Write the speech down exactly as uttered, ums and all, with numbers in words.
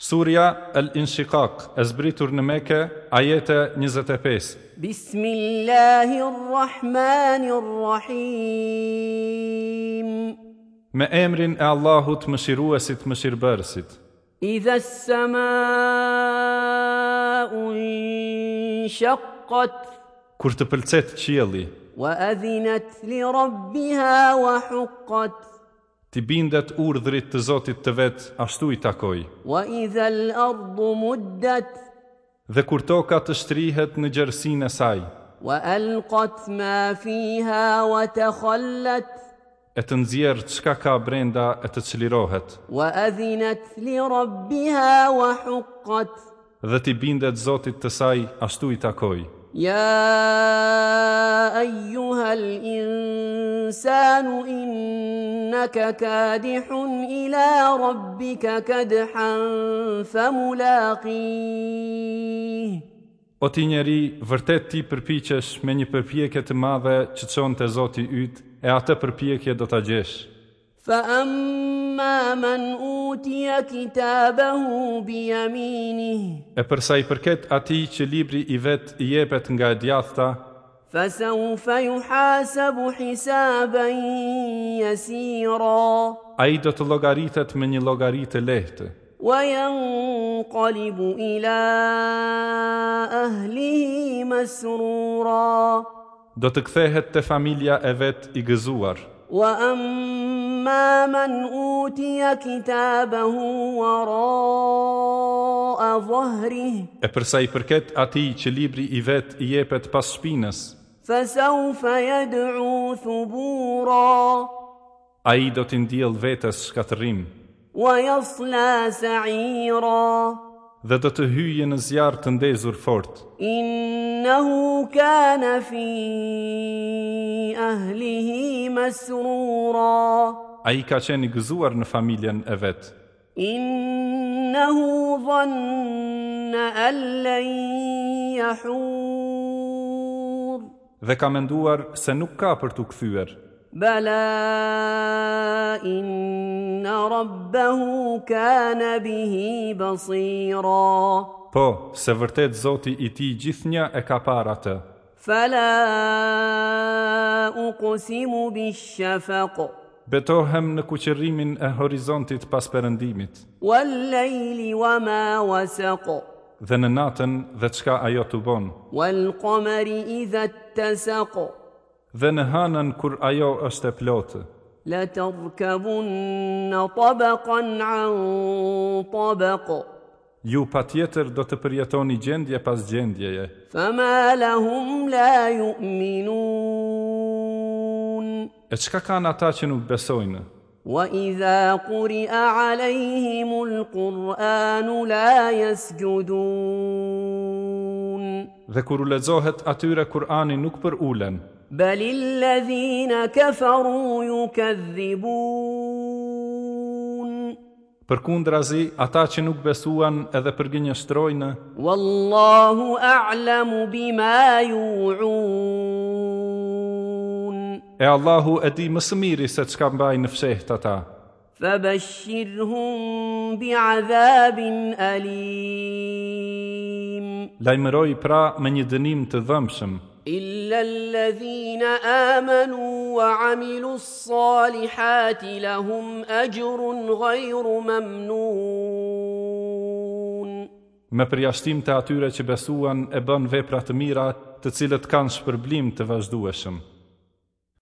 Surja El-Inshiqaq, e zbritur në Mekë, ajete njëzet e pesë. Bismillahirrahmanirrahim. Me emrin e Allahut, mëshiruesit, mëshirbërësit. Idha as-sama'u inshaqqat. Kur të pëlcet qielli. Wa adhinat li rabbiha wa huqqat. Ti bindet urdhrit të Zotit të vet, ashtu i takoi. Wa idha al-ardu muddat. Dhe kur toka të shtrihet në gjerësinë e saj. Wa alqat ma fiha wa takhallat. E të nxjerr çka ka brenda e të çlirohet. Wa adhinat li rabbiha wa huqqat. Dhe ti bindet Zotit të saj, ashtu i takoi. Ja ayyuha al-insanu innaka kadihun ila rabbika kadhan famulaqih. O ti njeri, vërtet ti përpiqesh me një përpjekje të madhe që çon te Zoti yt, e atë përpjekje do ta gjesh. Fa amma man utiya kitabahu bi yaminih. E përsa i përket atij që libri i vet i jepet nga e djathta, fa sawfa yuhasabu hisaban yasira. Ai do të llogaritet me një llogari të lehtë. Wa yanqalibu ila ahlihi masrura. Do të kthehet te familja e vet i gëzuar. Wa amma man utiya kitabahu wara'a dhahrih. E përsa i përket atij që libri i vet i jepet pas shpinës, fa sawfa yad'u thubura. Ai do t'i ndjell vetes shkatërrim. Wa yasla sa'ira. Dhe do të hyjë në zjarr të ndezur fort. Innahu kana fi ahlihi masrura. Ai ka qenë i gëzuar në familjen e vet. Innahu dhanna an lan yahur. Dhe ka menduar se nuk ka për t'u kthyer. Bala inna rabbahu kana bihi basira. Po, se vërtet Zoti i tij gjithnjë e ka parë atë. Fala uqsimu bishafaq. Betohem në kuqërimin e horizontit pas perëndimit. Wal layli wama wasaq. Dhe në natën dhe çka ajo tubon. Wal qamari idha ittasaq. Dhe në hënën kur ajo është e plotë. La tarkabunna tabaqan an tabaq. Ju patjetër do të përjetoni gjendje pas gjendjeje. Fama lahum la yu'minun. E çka kanë ata që nuk besojnë? Wa idha quri'a alayhimul Qur'anu la yasjudun. Dhe kur u lexohet atyre Kur'ani nuk përulen. Bal alladhina kafaru yukadhibun. Përkundrazi, ata që nuk besuan edhe përgënjeshtrojnë. Wallahu a'lamu bima yu'un. E Allahu e di më së miri se çka mbajnë në fsheht ata. Fabashshirhum bi'adhabin alim. Lajmëroi pra me një dënim të dhëmshëm. Illa alladhina amanu wa amilu s-salihati lahum ajrun ghayru mamnun. Me përjashtim të atyre që besuan e bën vepra të mira, të cilët kanë shpërblim të vazhdueshëm.